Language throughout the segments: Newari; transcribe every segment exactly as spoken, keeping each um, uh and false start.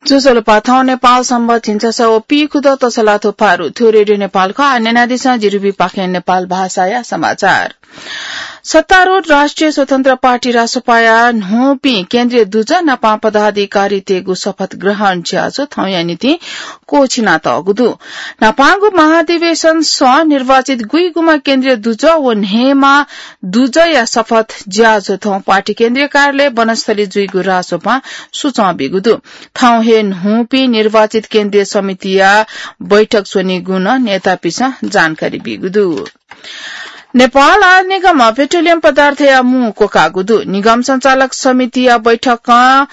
ज्वजलपा, थौं नेपाल संवत् झिंछसः व पीखुदँ तसलाथ्व पारु। थ्व रेडियो नेपाल खः। आः न्यनादिसँ जिरुबी पाखें नेपाल भाषाया समाचार। सत्तारूढ राष्ट्रिय स्वतन्त्र पार्टी रासोपाया न्हूपिं केन्द्रीय दुजः नापं पदाधिकारीतय्गु शपथ ग्रहण ज्याझ्वः थौंया निंतिं क्वःछिनातःगु दु। न्हापांगु महाधिवेशनसं निर्वाचित गुइगुम्ह केन्द्रीय दुजः व न्हय्म्ह दुजःया शपथ ज्याझ्वः थौं पार्टी केन्द्रीय कार्यालय बनस्थली जुइगु रासोपां सुचं बीगु दु। थौं हे न्हूपिं निर्वाचित केन्द्रीय समितिया बैठक स्वनीगु नं नेतापिसं जानकारी बीगु दु। नेपाल आयल निगमं पेट्रोलियम पदार्थया मू क्वकाःगु दु। निगम सञ्चालक समितिया बैठकं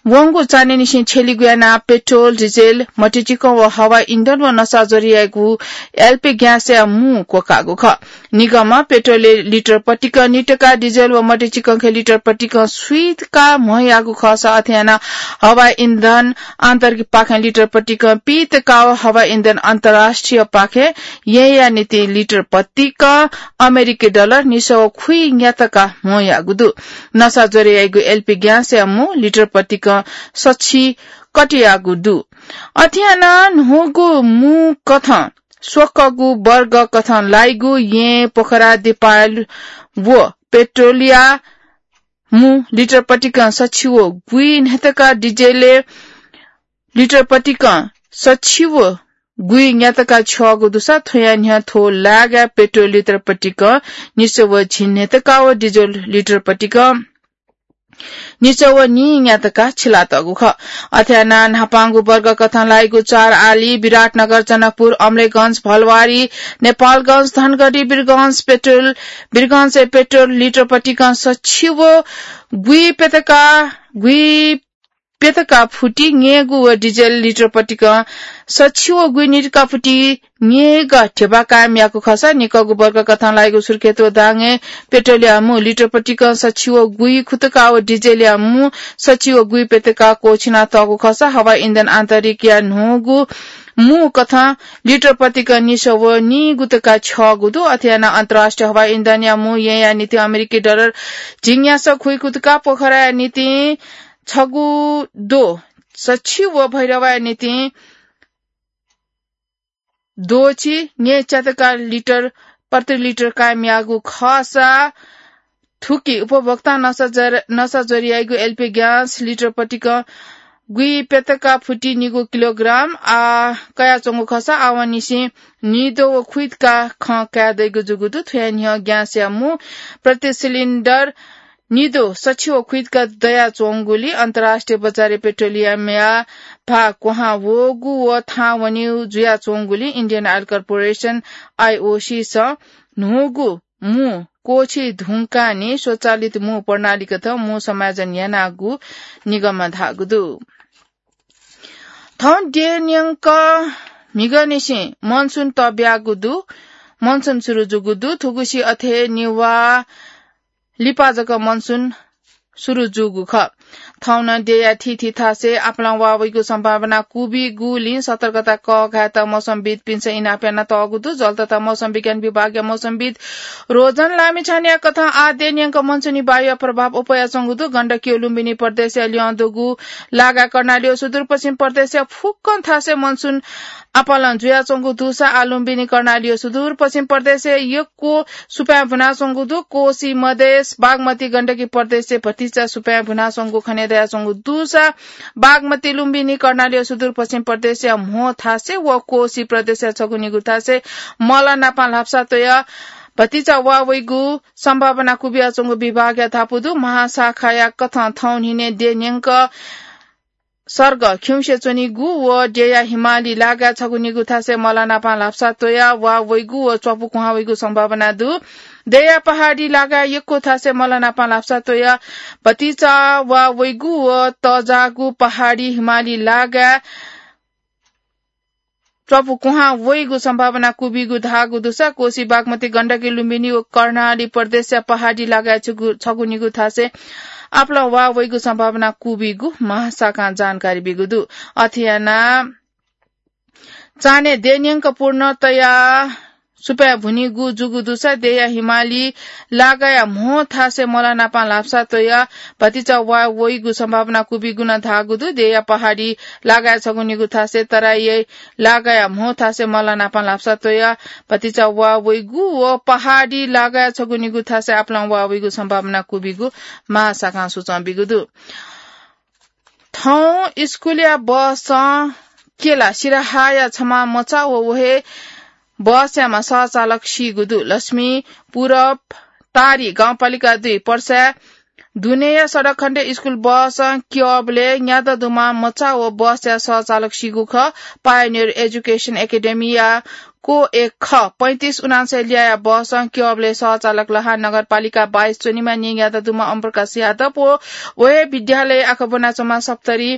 वंगु चान्हय्निसें छ्यलीगु यानाः पेट्रोल, डिजेल, मतिचिकं व हवाई इन्धन व नसा ज्वरय् याइगु एलपी ग्यासया मू क्वकाःगु खः। निगमं पेट्रोलय् लिटर पतिकं नितका, डिजेल व मतिचिकंखय् लिटर पतिकं स्वीतका म्ह याःगु खःसा अथे यानाः हवाई इन्धन आन्तरिक पाखें लिटर पतिकं पीतका व हवाई इन्धन अन्तर्राष्ट्रिय पाखें येँया निंतिं लिटर पतिकं अमेरिकी डलर निसः व खुइन्यातका म्ह याःगु दु। नसा ज्वरय् याइगु एलपी ग्यासया मू लिटर पतिकं सछि कटियाःगु दु। अथे यानाः न्हूगु मू कथं स्वक्वःगु वर्ग कथं लाइगु येँ, पोखरा, दिपायल व पेट्रोलया मू लिटर पतिकं सछि व गुइन्यातका, डिजेलय् लिटर पतिकं सछि व गुइन्यातका छ्यःगु दुसा थ्वया न्ह्यः थ्व लागाय् पेट्रोल लिटर पतिकं निसः व झिंन्यातका व डिजेल लिटर पतिकं निसः व नीन्यातका छिलातःगु खः। अथे यानाः न्हापांगु वर्ग कथं लाइगु चार आली, विराटनगर, जनकपुर, अमलेखगंज, भलवारी, नेपालगंज, धनगढी, वीरगंज पेट्रोल, वीरगंजय् पेट्रोल लिटर पतिकं सछि व गुइप्यतका, गुइप्यतका फुति न्यय्गु व डिजेल लिटर पतिकं सछि व गुइन्यातका फुति न्यय्गः ध्यबा कायम याःगु खःसा निकःगु वर्ग कथं लाइगु सुर्खेत व दाङय् पेट्रोलया मू लिटर पतिकं सछि व गुइखुतका व डिजेलया मू सछि व गुइप्यतका क्वःछिनातःगु खःसा हवाई इन्धन आन्तरिकया न्हूगु मू कथं लिटर पतिकं निसः व नीगुतका छ्यःगु दु। अथे यानाः अन्तर्राष्ट्रिय हवाई इन्धनया मू येँया निंतिं अमेरिकी डलर झिंन्यासः खुइखुतका, पोखराया निंतिं छगू दो सछि व भैरवाया निंतिं दोछि न्यय्च्यातका लिटर प्रति लिटर कायम याःगु खःसा थुकी उपभोक्तां नसा ज्वर, नसा ज्वरय् याइगु एलपी ग्यास लिटर पतिकं गुइप्यतका फुति निगू किलोग्राम आ कयाच्वंगु खःसा आवंनिसें नीदो व खुइतका खँ काये दइगु जूगु दु। थ्वया न्ह्यः ग्यासया मू प्रति सिलिन्डर नीदो सछि व खुइतका दयाच्वंगुलिं अन्तर्राष्ट्रिय बजारय् पेट्रोलियमया भाः क्वहां वःगु व थाहां वनीगु जुयाच्वंगुलिं Indian Oil Corporation, आईओसीसं न्हूगु मू क्वःछी धुंकाः नि स्वचालित मू प्रणालीकथं मू समायोजन यानागु निगमं धाःगु दु। थौं देय् न्यंक म्हिगःनिसें मनसुन तब्याःगु दु। मनसुन सुरु जूगु दु। थुगुसी अथे निभाः लिपा जक मनसुन सुरु जूगु खः। थौं नं देय्या थीथी थासय् आपालं वा वइगु सम्भावना क्वबिगुलिं सतर्कता कःघायेत मौसमविद्पिन्सं इनाप यानातःगु दु। जल तथा मौसम विज्ञान विभागया मौसमविद् रोजन लामिछानेया कथं आः देय् न्यंक मनसुनी वायुया प्रभाव अप्वयाच्वंगु दु। गण्डकी व लुम्बिनी प्रदेशया ल्यं दुगु लागाय् कर्णाली व सुदूरपश्चिम प्रदेशया फुक्कं थासय् मनसुन आपालं जुयाच्वंगु दुसा आः लुम्बिनी, कर्णाली व सुदूरपश्चिम प्रदेशय् यक्व सुपाँय् भुनाच्वंगु दु। कोशी, मधेस, बागमती, गण्डकी प्रदेशय् भतिचा सुपाँय् भुनाच्वंगु खनेदयाच्वंगु दुसा बागमती, लुम्बिनी, कर्णाली व सुदूरपश्चिम प्रदेशया म्हो थासय् व कोशी प्रदेशया छगू निगू थासय् मल नापं ल्हापसा त्वयाः भतिचा वा वइगु सम्भावना क्वबियाच्वंगु विभागया धापू दु। महाशाखाया कथं थौं न्हिनय् देय् न्यंक सर्ग खिउँसे च्वनीगु व देय्या हिमाली लागाय् छगू निगू थासय् मल नापं ल्हापसा त्वयाः वा वइगु व च्वापु क्वहां वइगु सम्भावना दु। देय्या पहाडी लागाय् यक्व थासय् मल नापं ल्हापसा त्वयाः भतिचा वा वइगु व तःजाःगु पहाडी हिमाली लागाय् च्वापु क्वहां वइगु सम्भावना क्वबिगु धाःगु दुसा कोशी, बागमती, गण्डकी, लुम्बिनी व कर्णाली प्रदेशया पहाडी लागाय् छगू, छगू निगू थासय् आपालं वा वइगु सम्भावना क्वबिगु महाशाखां जानकारी बीगु दु। अथे यानाः चान्हय् देय् न्यंक पूर्णतया सुपाँय् भुनिगु जूगु दुसा देया हिमाली लागाया म्हो थासय् मलानापां ल्हापसा तयाः भतिचा वा वइगु सम्भावना कुबिगु नं धाःगु दु। देया पहाडी लागाया छगू निगू थासय् तराई लागाया म्हो थासय् मलानापां ल्हापसा तयाः भतिचा वा वइगु व पहाडी लागाया छगू निगू थासय् आपालं वा वइगु सम्भावना कुबिगु महाशाखां सूचं बिगु दु। थौं स्कूलया बसं केला सिराहाया छमा मचा व व हे बसयामा सहचालक सीगु दु। लक्ष्मी पूरब तारी गाउँपालिका दुई पर्सा दुनेया सडक खण्डे स्कूल बसं क्यबले न्यादँ दुमा मचा व बसया सहचालक सीगु खः। पायोनियर एजुकेसन एकेडेमिया को एक ख पैंतिस उनान्सय ल्याया बसं क्यबले सहचालक लहा नगरपालिका बाइस च्वनिमा न्यादँ दुमा अम्प्रकाश यादव व व हे विद्यालय आखा ब्वनाच्वमा सप्तरी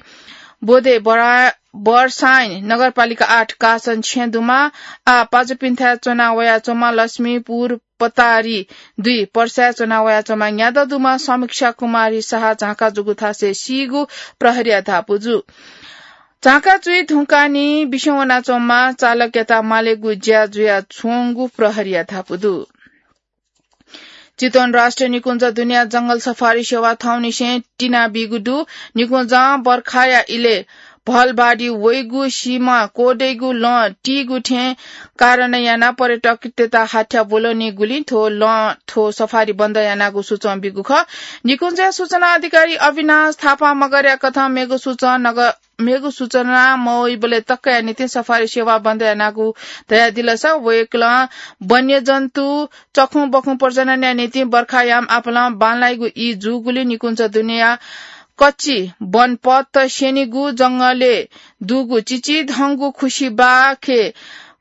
बोधे बरा-, बर्साइन नगरपालिका आठ कासन छेँ दुमा आ पाजुपिन्थाय् च्वना वयाच्वमा लक्ष्मीपुर पतारी दुई पर्साय् च्वना वयाच्वमा न्यादँ दुमा समीक्षा कुमारी शाह झाँका जूगु थासय् सीगु प्रहरीया धापू जू। झाँका जुइ धुंकाः नि बिस्युं वनाच्वमा चालकयात मालेगु ज्या जुयाच्वंगु प्रहरीया धापू दु। चितवन राष्ट्रिय निकुञ्ज दुनेया जंगल सफारी सेवा थौंनिसें तिनाबीगु दु। निकुञ्जं बर्खाया इलय् भलबाडी वइगु सिमा कोदइगु लं तीगु थें कारण यानाः पर्यटकतय्त हाथ्या ब्वलनीगुलिं थ्व लं थ्व सफारी बन्द यानागु सूचं बीगु खः। निकुञ्जया सूचना अधिकारी अविनाश थापां मगरया कथं मेगु सूचं नग-, मेगु सूचना मवइबलय् तकया निंतिं सफारी सेवा बन्द यानागु धयादिलसा वय्कलं वन्यजन्तु चखुं बखुं प्रजननया निंतिं बर्खायाम आपालं बांलाइगु ई जूगुलिं निकुञ्ज दुनेया कच्ची वनपथ स्यनीगु जंगलय् दुगु चिचिधंगु खुसिबाखे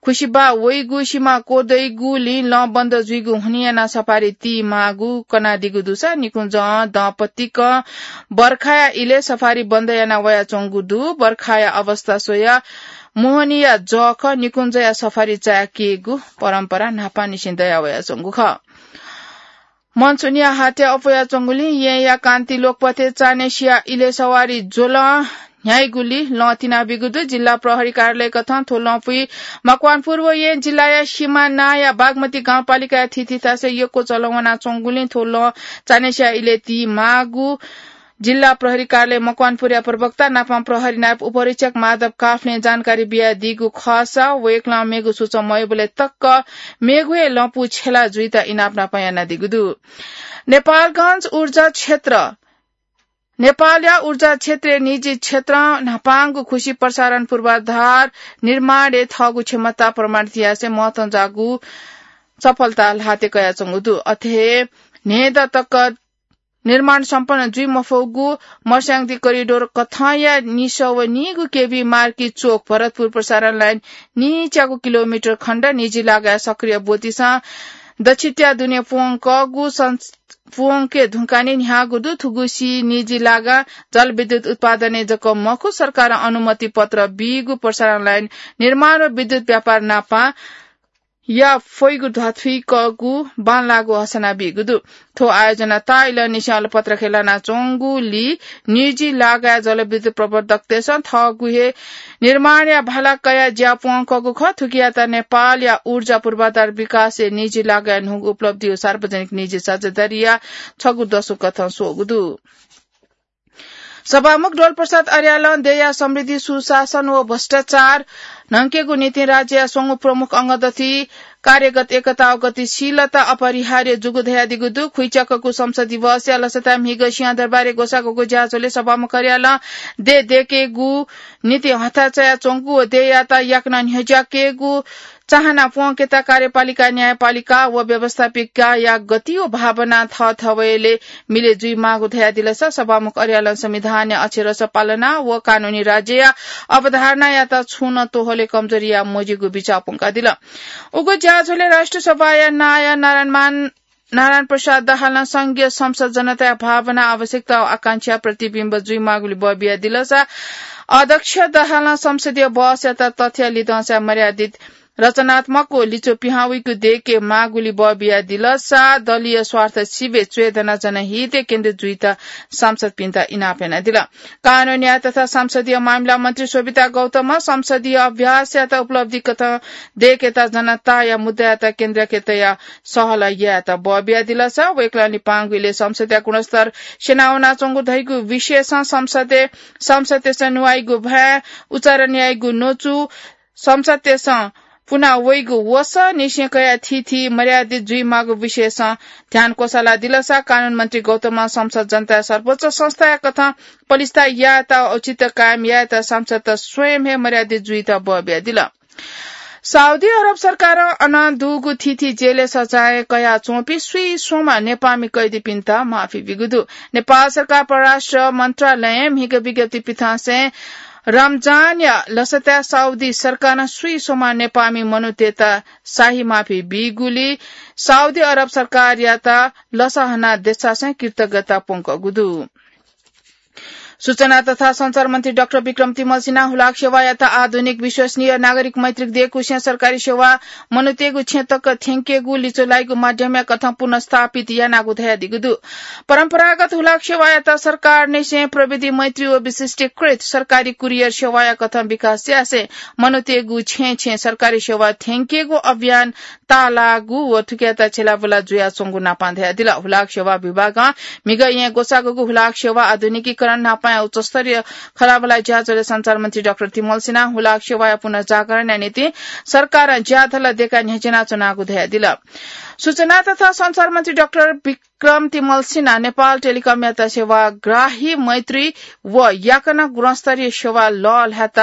खुसिबा वइगु सिमा कोदइगुलिं लं बन्द जुइगु हुनिं यानाः सफारी ती माःगु कनादीगु दुसा निकुञ्जं दँपतिकं बर्खाया इलय् सफारी बन्द याना वयाच्वंगु दु। बर्खाया अवस्था स्वयाः मोहनीया जःखः निकुञ्जया सफारी चाय्केगु परम्परा न्हापांनिसें दया वयाच्वंगु खः। मनसुनिया हाथ्या अप्वयाच्वंगुलिं येँया कान्ति लोकपथय् चान्हय्सिया इलय् सवारी ज्वलं न्ह्याइगुलिं लं तिनाबीगु दु। जिल्ला प्रहरी कार्यालय कथं थ्व लँपुइ मकवानपुर व येँ जिल्लाया सिमानाया बागमती गाउँपालिकाया थीथी थासय् यक्व चलं वनाच्वंगुलिं थ्व लं चान्हय्सिया इलय् ती माःगु जिल्ला प्रहरी कार्यालय मकवानपुरया प्रवक्ता नापं प्रहरी नायब उपरीक्षक माधव काफ्लें जानकारी बियादीगु खःसा वय्कलं मेगु सूचं मवइबलय् तक मेगु हे लँपु छ्यला जुइत इनाप नापं यानादीगु दु। नेपालगञ्ज ऊर्जा क्षेत्र, नेपालया ऊर्जा क्षेत्रय् निजी क्षेत्रं न्हापांगु खुसी प्रसारण पूर्वाधार निर्माणय् थःगु क्षमता प्रमाणित यासें महत्वंजाःगु सफलता ल्हातय् कयाच्वंगु दु। अथे हे न्हय्दँ तक निर्माण सम्पन्न जुइ मफुगु मर्स्याङदी करिडोर कथंया निसः व नीगु केभी मार्की चोक भरतपुर प्रसारण लाइन नीच्यागु किलोमिटर खण्ड निजी लागाय् सक्रिय ब्वतिसं दछित्या दुने प्वंकःगु सं-, प्वंके धुंकाने न्ह्याःगु दु। थुगु सी निजी लागां जलविद्युत उत्पादनय् जक मखु, सरकारं अनुमति पत्र बीगु प्रसारण लाइन निर्माण व विद्युत व्यापार नापं या फइगु ध्वाथुइकःगु बांलाःगु हसना बीगु दु। थ्व आयोजना ताःइलंनिसें अलपत्र खँय् लानाच्वंगुलिं निजी लागाय् जलविद्युत प्रवर्धकतय्सं थःगु हे निर्माणया भाला कयाः ज्या प्वंकःगु खः। थुकियात नेपालया ऊर्जा पूर्वाधार विकासय् निजी लागाय् न्हूगु उपलब्धि व सार्वजनिक निजी साझेदारीया छगू दसु कथं स्वःगु दु। सभामुख डोलप्रसाद अर्यालं देया समृद्धि, सुशासन व भ्रष्टाचार न्हंकेगु निंतिं राज्यया स्वंगू प्रमुख अंगदथुइ कार्यगत एकता व गतिशीलता अपरिहार्य जूगु धयादीगु दु। खुइच्याकःगु संसद दिवसया लसताय् म्हिगः सिंहदरबारय् ग्वसाःगु ज्याझ्वलय् सभामुख अर्यालं देय् दय्केगु निंतिं हथाय् चायाच्वंगु व देय्यात याकनं न्ह्यज्याकेगु चाहना प्वंकेत कार्यपालिका, न्यायपालिका व व्यवस्थापिकाया गति व भावना थःथवय्लय् मिले जुइमाःगु धयादिलसा सभामुख अर्यालं संविधानया अक्षरशः पालना व कानूनी राज्यया अवधारणायात छुं नं तोहले कमजोरी याये मज्यूगु बिचाः प्वंकादिल। उगु ज्याझ्वलय् राष्ट्रिय सभाया नायः नारायणमान नारायण प्रसाद दाहालं संघीय संसद जनताया भावना, आवश्यकता व आकांक्षा प्रतिबिम्ब जुइमाःगुलिं बः बियादिलसा अध्यक्ष दाहालं संसदीय बहसयात तथ्य लिधंसा मर्यादित रचनात्मक व लिच्वः पिहां वइगु देके माःगुलिं बः बियादिल। सा दलीय स्वार्थ सिबें च्वय् दनाः जनहितय् केन्द्रित जुइत सांसदपिन्त इनाप यानादिल। कानून न्याय तथा संसदीय मामिला मन्त्री शोभिता गौतमं संसदीय अभ्यासयात उपलब्धि कथं देकेत जनताया मुद्दायात केन्द्रय् तयाः सहलह यायेत बः बियादिल। सा वय्कलं लिपांगु इलय् संसदया गुणस्तर स्यनावनाच्वंगु धइगु विषयसं संसदय् सांसदतय्सं न्वाइगु भाय्, उच्चारण याइगु न्वचु, संसदतय्सं पुना वइगु वसः निसें कयाः थीथी मर्यादित जुइमाःगु विषयसं ध्यान क्वसालादिल। सा कानून मन्त्री गौतमं संसद जनताया सर्वोच्च संस्थाया कथं पलिस्था यायेत, औचित्य कायम यायेत सांसदत स्वयं हे मर्यादित जुइत बः बियादिल। साउदी अरब सरकारं अन दुगु थीथी जेलय् सजाय कयाच्वंपिं स्वीस्वम्ह नेपाःमि कैदीपिन्त माफी बीगु दु। नेपाल सरकार परराष्ट्र मन्त्रालयं म्हिगः विज्ञप्ति पिथंसें रमजानया लसताय् साउदी सरकारं स्वीस्वम्ह नेपाःमि मनूतय्त शाही माफी बीगुलिं साउदी अरब सरकारयात लसहना देछासें कृतज्ञता प्वंकूगु दु। सूचना तथा सञ्चार मन्त्री डाक्टर विक्रम तिमल सिन्हां हुलाक सेवायात आधुनिक, विश्वसनीय, नागरिक मैत्रीक देकुसें सरकारी सेवा मनूतय्गु छेँ तक थ्यंकेगु लिच्वः लाइगु माध्यमया कथं पुनर्स्थापित यानागु धयादीगु दु। परम्परागत हुलाक सेवायात सरकारनिसें प्रविधि मैत्री व विशिष्टीकृत सरकारी कुरियर सेवाया कथं विकास यासें मनूतय्गु छेँ छेँ सरकारी सेवा थ्यंकेगु अभियान ताःलाःगु व थुकियात छ्यलाबुला जुयाच्वंगु नापां धयादिल। हुलाक सेवा विभागं म्हिगः येँ ग्वसाःगुगु हुलाक सेवा आधुनिकीकरण नापांया उच्चस्तरीय खँल्हाबल्हा ज्याझ्वलय् सञ्चार मन्त्री डाक्टर तिमल सिन्हां हुलाक सेवाया पुनर्जागरणया निंतिं सरकारं ज्याझ्वलय् देकाः न्ह्यचिनाच्वनागु धयादिल। सूचना तथा सञ्चार मन्त्री डाक्टर विक्रम तिमल सिन्हां नेपाल टेलिकमयात सेवाग्राही मैत्री व याकनं गुणस्तरीय सेवा लःल्हायेत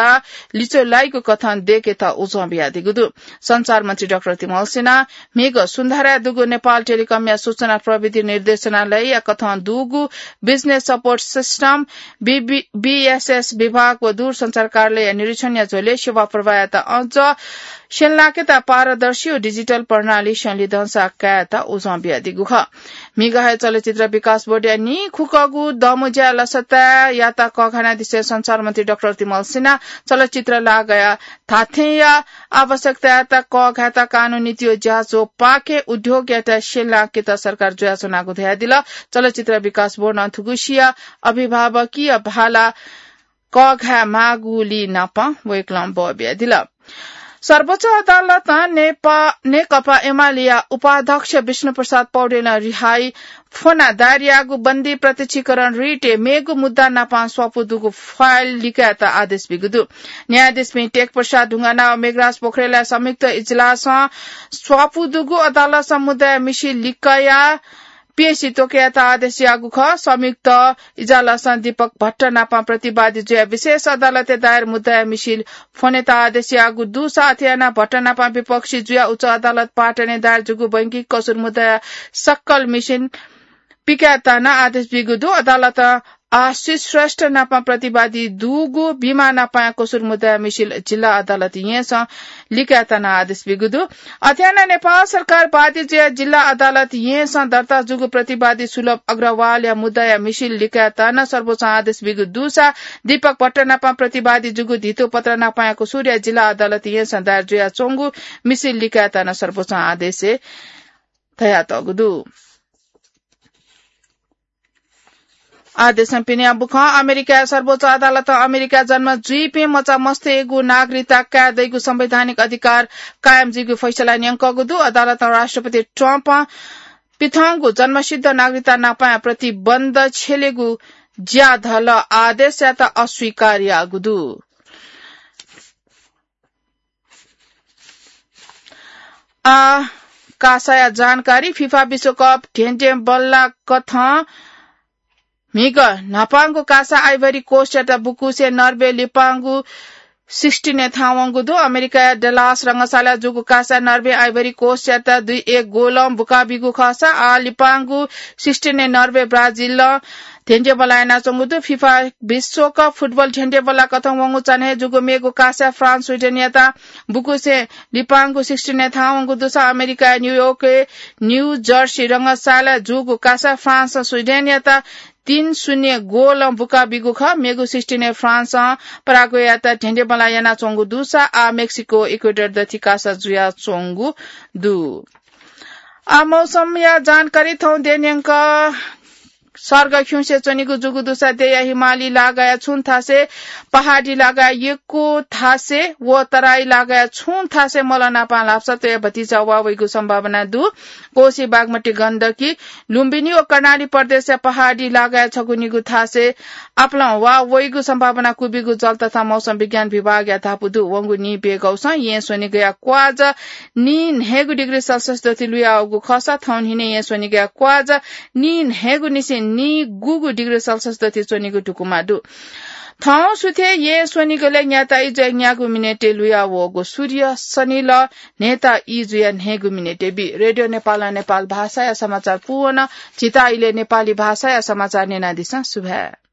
लिच्वः लाइगु कथं देकेत उजं बियादीगु दु। सञ्चार मन्त्री डाक्टर तिमल सिन्हां म्हिगः सुन्धाराय् दुगु नेपाल टेलिकमया सूचना प्रविधि निर्देशनालयया कथं दुगु business support system, बीबी, बीएसएस विभाग व दूरसञ्चार कार्यालयया निरीक्षणया झ्वलय् सेवा प्रवाहयात अझ स्यंलाकेत पारदर्शी व डिजिटल प्रणाली संलिधंसा कायेत उजं बियादीगु खः। म्हिगः हे चलचित्र विकास बोर्डया नीखुक्कगु दमुज्या लसताय्‌यात कःघानादिसें सञ्चार मन्त्री डाक्टर तिमल सिन्हां चलचित्र लागःया धात्थेंया आवश्यकतायात कःघायेत कानूनी नीति व ज्याझ्वः पाखें उद्योगयात स्यंलाकेत सरकार जुयाच्वनागु धयादिल। चलचित्र विकास बोर्डं थुगुसिया अभिभावकीय भाला कःघाये माःगुलिं नापं वय्कलं बः बियादिल। सर्वोच्च अदालतं नेपा-, नेकपा एमालेया उपाध्यक्ष विष्णुप्रसाद पौडेलं रिहाई फ्वनाः दायर याःगु बन्दी प्रत्यक्षीकरण रिटय् मेगु मुद्दा नापं स्वापू दुगु फाइल लिकायेत आदेश बीगु दु। न्यायाधीशपिं टेकप्रसाद ढुङ्गाना व मेघराज पोखरेलया संयुक्त इजलासं स्वापू दुगु अदालतं मुद्दाया मिसिं लिकायाः पेशी त्वःकेत आदेश याःगु खः। संयुक्त इजलासं दीपक भट्ट नापं प्रतिवादी जुयाः विशेष अदालतय् दायर मुद्दाया मिसिं फ्वनेत आदेश याःगु दुसा अथे यानाः भट्ट नापं विपक्षी जुयाः उच्च अदालत पाटनय् दायर जूगु बैंकिक कसुर मुद्दाया सकल मिसिं पिकायेत नं आदेश बीगु दु। अदालतं आशिष श्रेष्ठ नापं प्रतिवादी दुगु बिमा नापंया कसुर मुद्दाया मिसिं जिल्ला अदालत येँसं लिकायेत नं आदेश बीगु दु। अथे यानाः नेपाल सरकार बाध्य जुयाः जिल्ला अदालत येँसं दर्ता जूगु प्रतिवादी सुलभ अग्रवालया मुद्दाया मिसिं लिकायेत नं सर्वोच्चं आदेश बीगु दुसा दीपक भट्ट नापं प्रतिवादी जूगु धितो पत्र नापंया कसुरया जिल्ला अदालत येँसं दायर जुयाच्वंगु मिसिं लिकायेत नं सर्वोच्चं आदेशय् धयातःगु दु। आदेशं पिने बुखं अमेरिकाया सर्वोच्च अदालतं अमेरिकाय् जन्म जुइपिं मचा मस्तय्गु नागरिकता काये दइगु संवैधानिक अधिकार कायम जुइगु फैसला न्यंकःगु दु। अदालतं राष्ट्रपति ट्रम्पं पिथंगु जन्मसिद्ध नागरिकता नापंया प्रतिबन्ध छ्यलेगु ज्याझ्वलया आदेशयात अस्वीकार याःगु दु। आ, कासाया जानकारी। फिफा विश्वकप धेंधेंबल्ला कथं म्हिगः न्हापांगु कासा आइभरी कोस्टयात बुकुसें नर्वे लिपांगु सिक्सटिनय् थाहां वंगु दु। अमेरिकाया डलास रंगशालाय् जूगु कासा नर्वे आइभरी कोस्टयात दुई एक गोलं बुकाबीगु खःसा आ लिपांगु सिक्सटिनय् नर्वे ब्राजिलं धेंधेंबल्ला यानाच्वंगु दु। फिफा विश्वकप फुटबल धेंधेंबल्ला कथं वंगु चान्हय् जूगु मेगु कासा फ्रान्स स्विडेनयात बुकुसें लिपांगु सिक्सटिनय् थाहां वंगु दुसा अमेरिकाया न्यूयोर्कय् न्यू जर्सी रंगशालाय् जूगु कासा फ्रान्सं स्विडेनयात तीन शून्य गोलं बुका बीगु खः। मेगु सिक्सटिनय् फ्रान्सं पराग्वेयात ढेंढेंबल्लाः यानाच्वंगु दुसा आः मेक्सिको इक्वेडर दथि कासा जुयाच्वंगु दु। आः मौसमया जानकारी थौं देन्यंक सर्ग खिउँसे च्वनीगु जूगु दुसा देया हिमाली लागाया छुं थासे पहाडी लागाया यक्व थासे व तराई लागाया छुं थासे मलनापां ल्हापसा त्वया भतिचा वा वइगु सम्भावना दु। कोशी, बागमती, गण्डकी, लुम्बिनी व कर्णाली प्रदेशया पहाडी लागाया छगू निगू थासे आपालं वा वइगु सम्भावना क्वबिगु जल तथा मौसम विज्ञान विभागया धापू दु। वंगु नीब्यघौसं येँ स्वनिगया क्वाज नीन्हय्गू डिग्री सेल्सियस दथि लुयावःगु खःसा थौंनिसें येँ स्वनिगया क्वाज नीन्हय्गुनिसें नीगूगु डिग्री सेल्सियस दथि च्वनीगु धुकुमा दु। थौं सुथय् येँ स्वनिगलय् न्याता ई जुया न्यागू मिनेटय् लुयावःगु सूर्य सनिलः न्हय्ता ई जुया न्हय्गू मिनेटय् बी। रेडियो नेपालं नेपाल भाषाया समाचार पूवन झीत इलय् नेपाली भाषाया समाचार न्यनादिसँ। सुभाय्।